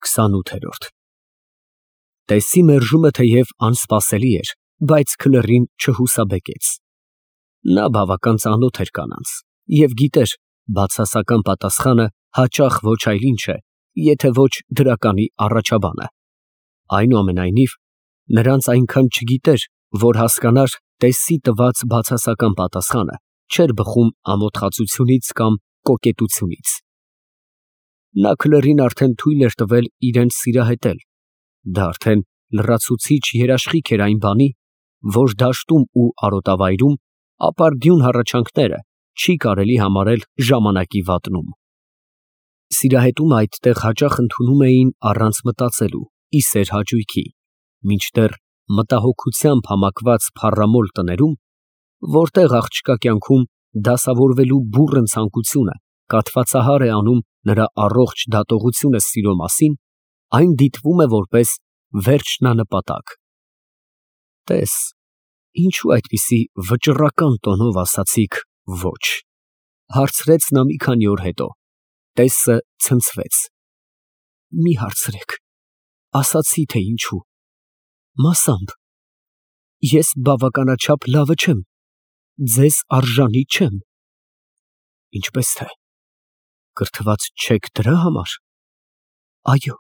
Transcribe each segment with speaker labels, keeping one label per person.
Speaker 1: 28 Տեսի մերժումը թեև անսպասելի էր, բայց քլեռին չհուսաբեկեց։ Նա բավական ծանոթ էր կանանց և գիտեր բացասական պատասխանը հաճախ ոչ այլ ինչ է, եթե ոչ դրականի առաջաբանը։ Այնուամենայնիվ, նրանց այնքան չգիտեր, որ հասկանար տեսի տված բացասական պատասխանը չէր բխում ամոթխածությունից կամ կոկետությունից։ Նա քլեռին արդեն թույլ էր տվել իրան սիրահետել, դա արդեն լրացուցիչ երաշխիք էր այն բանի, որ դաշտում ու արոտավայրում ապարդյուն հառաչանքները չի կարելի համարել ժամանակի վատնում։ Սիրահետումը այդտեղ հաճախ ընդունում էին առանց մտածելու, ի սեր հաճույքի, մինչդեռ մտահոգությամբ համակված փառամոլ տներում, որտեղ աղջկա կյանքում դասավորվելու բուռն ցանկությունը կաթվածահար է անում նրա առողջ դատողությունը սիրո մասին, այն դիտվում է որպես վերջնանպատակ։ Տես, ինչու այդպիսի վճռական տոնով ասացիք ոչ, հարցրեց նա մի քանի օր հետո։ Տեսը ցնցվեց։ Մի հարցրեք, ասացի թե ինչու։ Մասամբ, ես բավականաչափ լավը չեմ, ձեզ արժանի չեմ։ Ինչպես թե, կրթված չեք դրա համար։ Այո,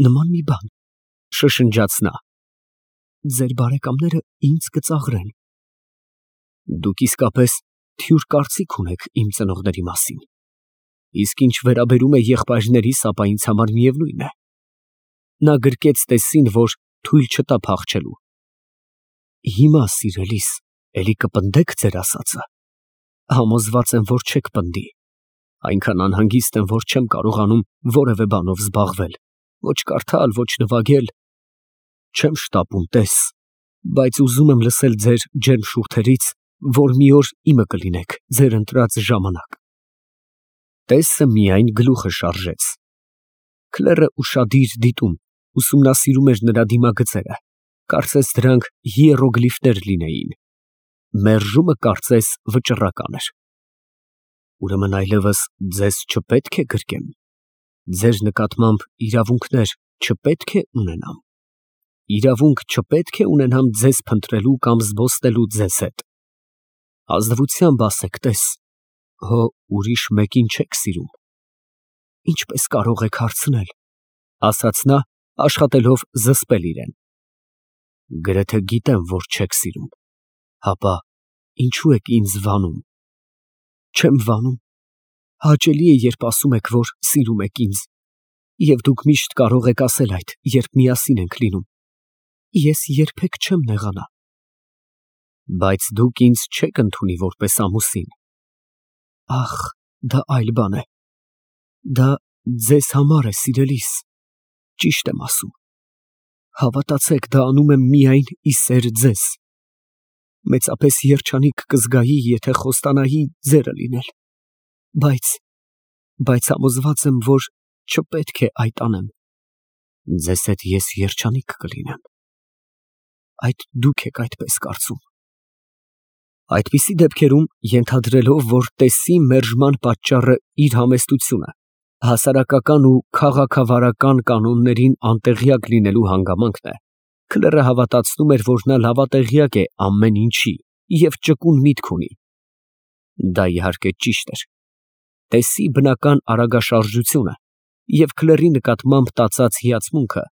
Speaker 1: նման մի բան, շշնջաց նա։ Ձեր բարեկամները ինձ կծաղրեն։ Դուք իսկապես թյուր կարծիք ունեք իմ ծնողների մասին, իսկ ինչ վերաբերում է եղբայրներիս, ապա ինձ համար միևնույն է։ Նա գրկեց տեսին, որ թույլ չտա փախչելու։ Հիմա, սիրելիս, էլի կպնդեք ձեր ասածը։ Համոզված եմ, որ չեք պնդի։ Այնքան անհանգիստ եմ, որ չեմ կարողանում որևէ բանով զբաղվել, ոչ կարդալ, ոչ նվագել։ Չեմ շտապում, տես, բայց ուզում եմ լսել ձեր ջերմ շուրթերից, որ մի օր իմը կլինեք ձեր ընտրած ժամանակ։ Տեսը միայն գլուխը շարժեց։ Քլերը ուշադիր դիտում, ուսումնասիրում էր նրա դիմագծերը, կարծես դրանք հիերոգլիֆներ լինեին։ Մերժումը կարծես վճռական էր։ Ուրեմն այլևս ձեզ չպետք է գրկեմ։ Ձեր նկատմամբ իրավունքներ չպետք է ունենամ։ Իրավունք չպետք է ունենամ ձեզ փնտրելու կամ զբոսնելու ձեզ հետ։ Ազնվությամբ ասեք, տես, հո ուրիշ մեկին չեք սիրում։ Ինչպես կարող եք հարցնել, ասաց նա, աշխատելով զսպել իրեն։ Գրեթե գիտեմ, որ չեք սիրում, հապա ինչու եք ինձ վանում։ Չեմ վանում։ Հաճելի է, երբ ասում եք, որ սիրում եք ինձ, և դուք միշտ կարող եք ասել այդ, երբ միասին ենք լինում։ Ես երբեք չեմ նեղանա։ Բայց դուք ինձ չեք ընդունի որպես ամուսին։ Ախ, դա այլ բան է։ Դա ձեզ համար է, սիրելիս։ Ճիշտ եմ ասում։ Հավատացեք, դա անում եմ միայն ի սեր ձեզ։ Մեծապես երջանիկ կզգայի, եթե խոստանայի ձերը լինել, բայց համոզված եմ, որ չպետք է այդ անեմ։ Ձեզ հետ ես երջանիկ կլինեմ։ Այդ դուք եք այդպես կարծում։ Այդպիսի դեպքերում, ենթադրելով, որ տեսի մերժման պատճառը իր համեստությունը, հասարակական ու քաղաքավարական կանոններին անտեղյակ լինելու հանգամանքն է, քլերը հավատացնում էր, որ նա լավատեղյակ է ամեն ինչի և ճկուն միտք ունի։ Դա իհարկե ճիշտ էր։ Տեսի բնական արագաշարժությունը և քլերի նկատմամբ տածած հիացմունքը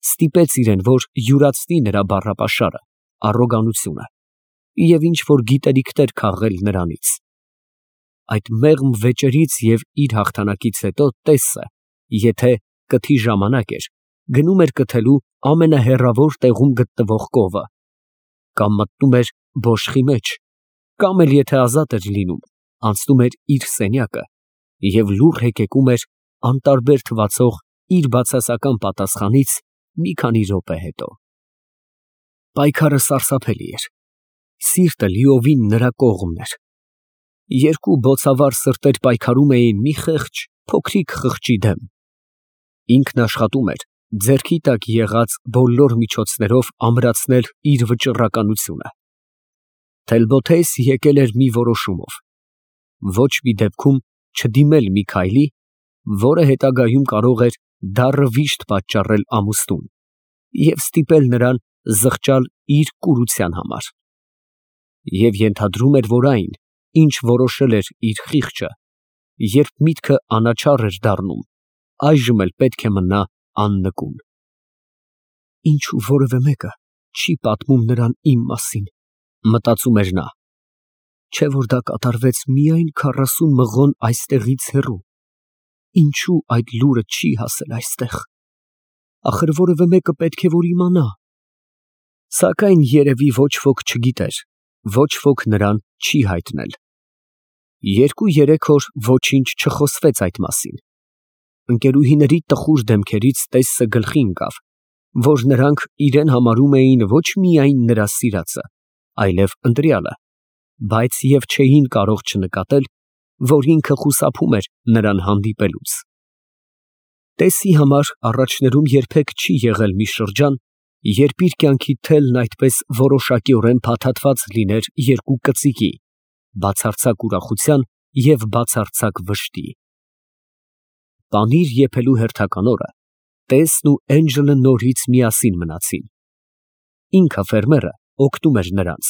Speaker 1: ստիպեց իրեն, որ յուրացնի նրա բառապաշարը, առոգանությունը և ինչ-որ գիտելիքներ քաղել նրանից։ Այդ մեղմ վեճերից և իր հաղթանակից հետո տեսը, եթե կթի ժամանակ էր, գնում էր կթելու ամենահեռավոր տեղում գտնվող կովը, կամ մտնում էր բոշխի մեջ, կամ էլ եթե ազատ էր լինում, անցնում էր իր սենյակը և լուռ հեկեկում էր անտարբեր թվացող իր բացասական պատասխանից մի քանի րոպե հետո։ Պայքարը սարսափելի էր։ Սիրտը լիովին նրա կողմն էր։ Երկու բոցավառ սրտեր պայքարում էին մի խեղճ, փոքրիկ խղճի դեմ։ Ինքն աշխատում էր ձեռքի տակ եղած բոլոր միջոցներով ամրացնել իր վճռականությունը։ Թելբոթես եկել էր մի որոշումով. ոչ մի դեպքում չդիմել մի քայլի, որը հետագայում կարող էր դառը վիշտ պատճառել ամուսնուն և ստիպել նրան զղջալ իր կուրության համար։ Եվ ենթադրում էր, որ այն, ինչ որոշել էր իր խիղճը, երբ միտքը անաչառ էր դառնում, այժմ էլ պետք է մնա աննկուն։ Ինչու որևէ մեկը չի պատմում նրան իմ մասին, մտածում էր նա, չէ որ դա կատարվեց միայն 40 մղոն այստեղից հեռու, ինչու այդ լուրը չի հասել այստեղ, ախր որևէ մեկը պետք է որ իմանա։ Սակայն երևի ոչ ոք չգիտեր, ոչ ոք նրան չի հայտնել։ 2-3 օր ոչինչ չխոսվեց այդ մասին։ Ընկերուհիների տխուր դեմքերից տեսը գլխի ընկավ, որ նրանք իրեն համարում էին ոչ միայն նրա սիրածը, այլև ընտրյալը, բայց և չէին կարող չնկատել, որ ինքը խուսափում էր նրան հանդիպելուց։ Տեսի համար առաջներում երբեք չի եղել մի շրջան, երբ իր կյանքի թելն այդպես որոշակիորեն փաթաթված լիներ երկու կծիկի, բացարձակ ուրախության և բացարձակ վշտի։ Պանիր եփելու հերթական օրը տեսն ու Էնջելը նորից միասին մնացին։ Ինքը ֆերմերը օգնում էր նրանց,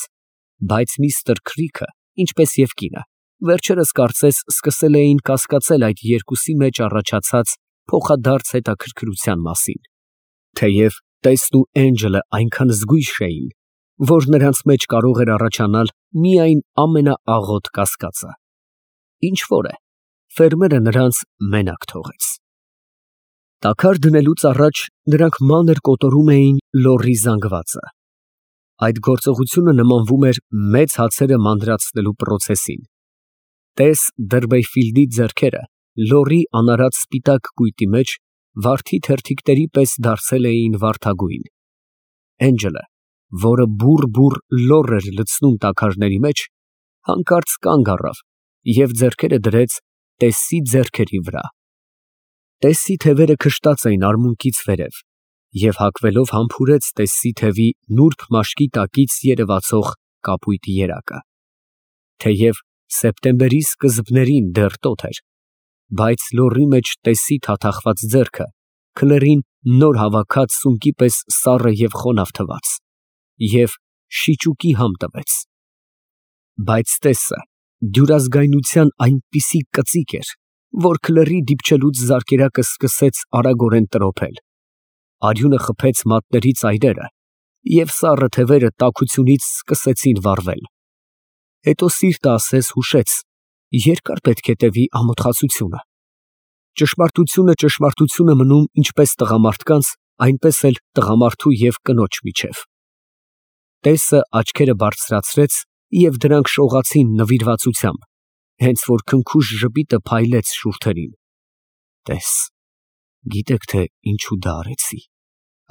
Speaker 1: բայց միստր Քրիքը, ինչպես և կինը, վերջերս կարծես սկսել էին կասկածել այդ երկուսի մեջ առաջացած փոխադարձ հետաքրքրության մասին, թեև տեսն ու Էնջելը այնքան զգույշ էին, որ նրանց մեջ կարող էր առաջանալ միայն ամենաաղոտ կասկածը։ Ինչ որ է, ֆերմերը նրանց մենակ թողեց։ Տաքար դնելուց առաջ նրանք մանր կոտորում էին լոռի զանգվածը։ Այդ գործողությունը նմանվում էր մեծ հացերը մանրացնելու պրոցեսին։ Տես Դըրբեյֆիլդի ձեռքերը լոռի անարած սպիտակ կույտի մեջ վարդի թերթիկների պես դարձել էին վարդագույն։ Էնջելը, որը բուռ լոռ էր լցնում տաքարների մեջ, հանկարծ կանգ առավ և ձեռքերը դրեց տեսի ձեռքերի վրա։ Տեսի թևերը քշտած էին արմունկից վերև և հագվելով համբուրեց տեսի թևի նուրբ մաշկի տակից երևացող կապույտ երակը։ Թեև սեպտեմբերի սկզբներին դեռ տոտ էր, բայց լոռի մեջ տեսի թաթախված ձեռքը քլերին նոր հավաքած սունկի պես սառը և խոնավ թվաց և շիճուկի համ տվեց։ Բայց տեսը դյուրազգայնության այնպիսի կծիկ էր, որ քլերի դիպչելուց զարկերակը սկսեց արագորեն տրոփել, արյունը խփեց մատների ծայրերը և սառը թևերը տաքությունից սկսեցին վառվել։ Հետո սիրտը ասես հուշեց, երկար պետք է տևի ամոթխացությունը։ Ճշմարտությունը մնում ինչպես տղամարդկանց, այնպես էլ տղամարդու և կնոջ միջև։ Տեսը աչքերը բարձրացրեց և դրանք շողացին նվիրվածությամբ, հենց որ քնքուշ ժպիտը փայլեց շուրթերին։ Տես, գիտեք թե ինչու դա արեցի,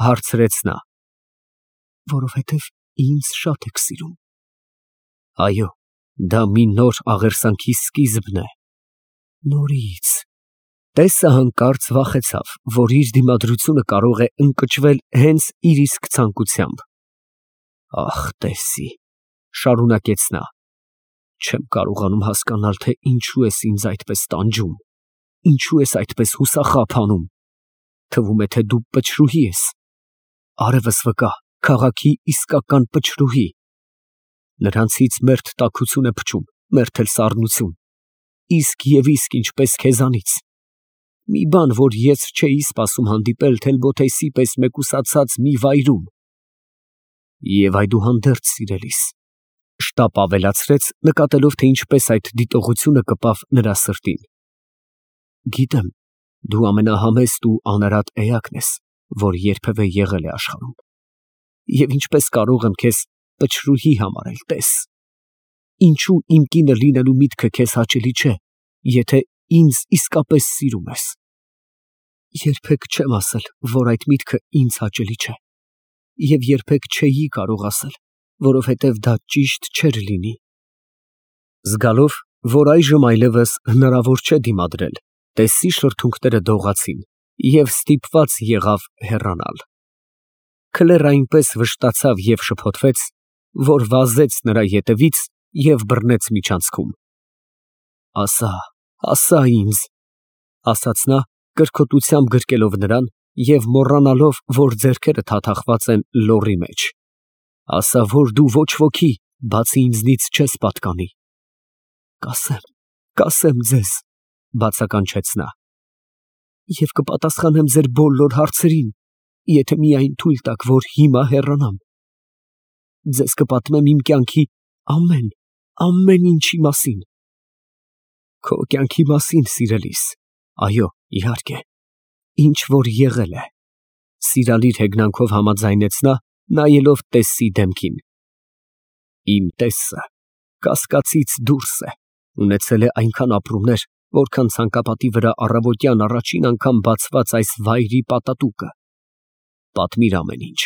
Speaker 1: հարցրեց նա։ Որովհետև ինձ շատ եք սիրում։ Այո, դա մի նոր աղերսանքի սկիզբն է։ Նորից։ Տեսը հանկարծ վախեցավ, որ իր դիմադրությունը կարող է ընկճվել հենց իր իսկ ցանկությամբ։ Ախ, տեսի, շարունակեց նա, չեմ կարողանում հասկանալ, թե ինչու ես ինձ այդպես տանջում, ինչու ես այդպես հուսախաբ անում, թվում է, թե դու պչրուհի ես, արևս վկա, քաղաքի իսկական պչրուհի։ Նրանցից մերթ տաքություն է փչում, մերթ էլ սառնություն, իսկ և իսկ ինչպես քեզանից։ Մի բան, որ ես չէի սպասում հանդիպել թելբոթեյսի պես մեկուսացած մի վայրում։ Եվ այդուհանդերձ, սիրելիս, շտապ ավելացրեց, նկատելով, թե ինչպես այդ դիտողությունը կպավ նրա սրտին։ Գիտեմ, դու ամենահամեստ ու անարատ էակն ես, որ երբևէ եղել է աշխարհում։ Եվ ինչպես կարող եմ քեզ պչրուհի համարել, տես։ Ինչու իմ կինը լինելու միտքը քեզ հաճելի չէ, եթե ինձ իսկապես սիրում ես։ Երբեք չեմ ասել, որ այդ միտքը ինձ հաճելի չէ, և երբեք չէի կարող ասել, որովհետև դա ճիշտ չէր լինի։ Զգալով, որ այժմ այլևս հնարավոր չէ դիմադրել, տեսի շրթունքները դողացին և ստիպված եղավ հեռանալ։ Քլերը այնպես վշտացավ և շփոթվեց, որ վազեց նրա ետևից և բռնեց միջանցքում։ Ասա ինձ, ասաց նա կրկոտությամբ գրկելով նրան և մոռանալով, որ ձեռքերը թաթախված են լոռի մեջ։ Ասա, որ դու ոչ ոքի, բացի ինձնից չես պատկանի։ Կասեմ ձեզ, բացականչեց նա, և կպատասխանեմ ձեր բոլոր հարցերին, եթե միայն թույլ տաք, որ հիմա հեռանամ։ Ձեզ կպատմեմ իմ կյանքի ամեն ինչի մասին։ Քո կյանքի մասին, սիրելիս, այո, իհարկե, ինչ որ եղել է, սիրալիր հեգնանքով համաձայնեց նա, նայելով Տեսսի դեմքին։ Իմ տեսը կասկածից դուրս է, ունեցել է այնքան ապրումներ, որքան ցանկապատի վրա առավոտյան առաջին անգամ բացված այս վայրի պատատուկը։ Պատմիր ամեն ինչ,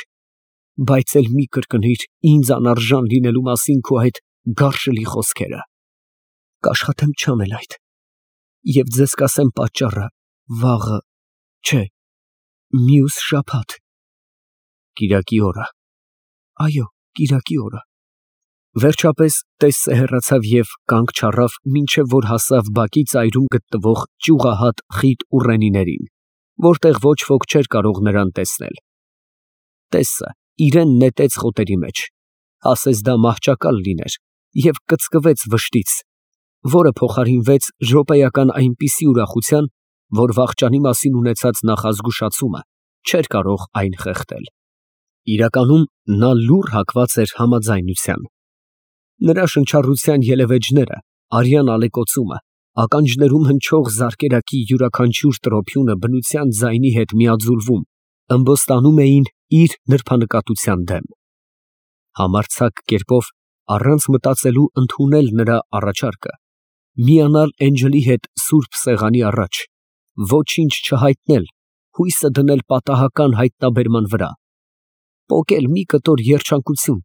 Speaker 1: բայց էլ մի կրկնիր ինձ անարժան լինելու մասին քո այդ գարշելի խոսքերը։ Կաշխատեմ չանել այդ, և ձեզ կասեմ պատճառը վաղը, չէ, մյուս շաբաթ, կիրակի օրը, այո, կիրակի օրը։ Վերջապես Տեսսը հեռացավ և կանգ չառավ, մինչև որ հասավ բակի ծայրում գտնվող ճյուղահատ խիտ ուռենիներին, որտեղ ոչ ոք չէր կարող նրան տեսնել։ Տեսսը իրեն նետեց խոտերի մեջ, ասես դա մահճակալ լիներ, և կծկվեց վշտից, որը փոխարինվեց րոպեական այնպիսի ուրախության, որ վախճանի մասին ունեցած նախազգուշացումը չէր կարող այն խեղդել։ Իրականում նա լուռ հակված էր համաձայնության։ Նրա շնչառության ելևէջները, արյան ալեկոծումը, ականջներում հնչող զարկերակի յուրաքանչյուր տրոփյունը բնության ձայնի հետ միաձուլվում, ըմբոստանում էին իր նրբանկատության դեմ։ Համարձակ կերպով, առանց մտածելու ընդունել նրա առաջարկը, միանալ Էնջելի հետ սուրբ սեղանի առաջ, ոչինչ չհայտնել, հույսը դնել պատահական հայտնաբերման վրա, պոկել մի կտոր երջանկություն,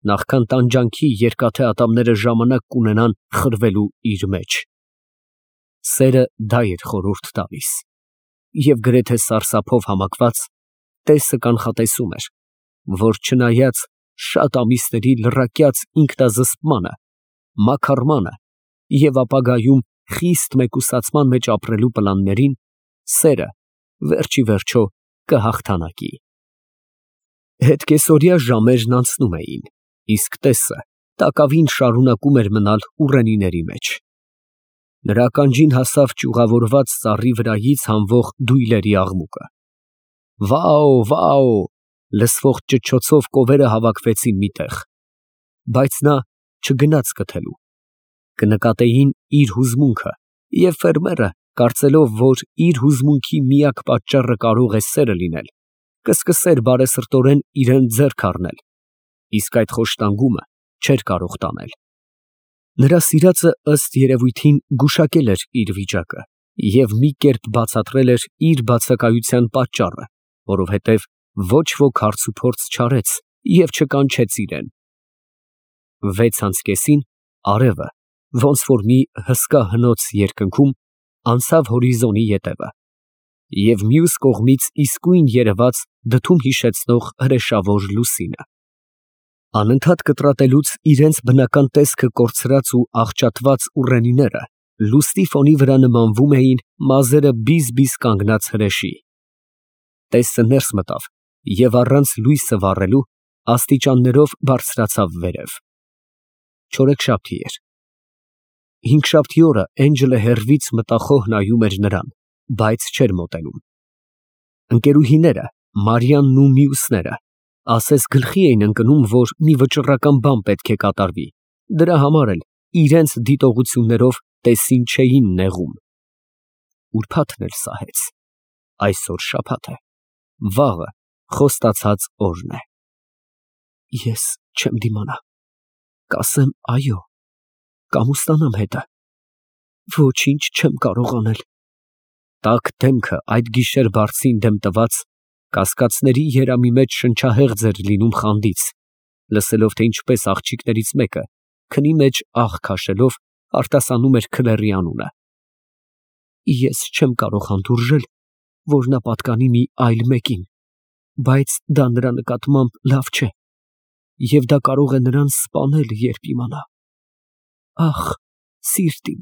Speaker 1: նախքան տանջանքի երկաթե ատամները ժամանակ կունենան խրվելու իր մեջ։ Սերը դա էր խորհուրդ տալիս, և գրեթե սարսափով համակված, Տեսսը կանխատեսում էր, որ չնայած շատ ամիսների լռակյաց ինքնազսպմանը, մաքարմանը և ապագայում խիստ մեկուսացման մեջ ապրելու պլաններին, սերը վերջ ի վերջո կհաղթանակի։ Հետկեսօրյա ժամերն անցնում էին, իսկ Տեսսը տակավին շարունակում էր մնալ ուռենիների մեջ։ Նրա ականջին հասավ ճյուղավորված ծառի վրայից հանվող դույլերի աղմուկը։ Վաո, վաո, լսվող ճչոցով կովերը հավաքվեցին մի տեղ, բայց նա չգնաց կթելու։ Կնկատեին իր հուզմունքը, և ֆերմերը, կարծելով, որ իր հուզմունքի միակ պատճառը կարող է սերը լինել, կսկսեր բարեսրտորեն իրան ձեռք առնել, իսկ այդ խոշտանգումը չէր կարող տանել։ Նրա սիրածը ըստ երևույթին գուշակել էր իր վիճակը և մի կերպ բացատրել էր իր բացակայության պատճառը, որովհետև ոչ ոք հարցուփորձ չարեց և չկանչեց իրան։ 6:30-ին արևը, ոնց որ մի հսկա հնոց երկնքում, անցավ հորիզոնի ետևը, և մյուս կողմից իսկույն երևաց դդում հիշեցնող հրեշավոր լուսինը։ Անընդհատ կտրատելուց իրենց բնական տեսքը կորցրած ու աղճատված ուռենիները լուսնի ֆոնի վրա նմանվում էին մազերը բիզ֊բիզ կանգնած հրեշի։ Տեսսը ներս մտավ և առանց լույսը վառելու աստիճաններով բարձրացավ վերև։ Չորեքշաբթի էր։ Հինգշաբթի օրը Էնջելը հեռվից մտախոհ նայում էր նրան, բայց չէր մոտենում։ Ընկերուհիները, Մարիամն ու մյուսները, ասես գլխի էին ընկնում, որ մի վճռական բան պետք է կատարվի, դրա համար էլ իրենց դիտողություններով Տեսսին չէին նեղում։ Ուրբաթն էլ սահեց, այսօր շաբաթ է, վաղը խոստացած օրն է։ Ես չեմ դիմանա, կասեմ այո, կամուստանամ հետը, ոչինչ չեմ կարող անել։ Տաք դեմքը այդ գիշեր բարձին դեմ տված, կասկածների երամի մեջ շնչահեղձ էր լինում խանդից, լսելով, թե ինչպես աղջիկներից մեկը, քնի մեջ աղ քաշելով, արտասանում էր քլերի անունը։ Ես չեմ կարող հանդուրժել, որ նա պատկանի մի այլ մեկին, բայց դա նրա նկատմամբ լավ չէ, և դա կարող է նրան սպանել, երբ իմանա։ Ախ, սիրտ իմ,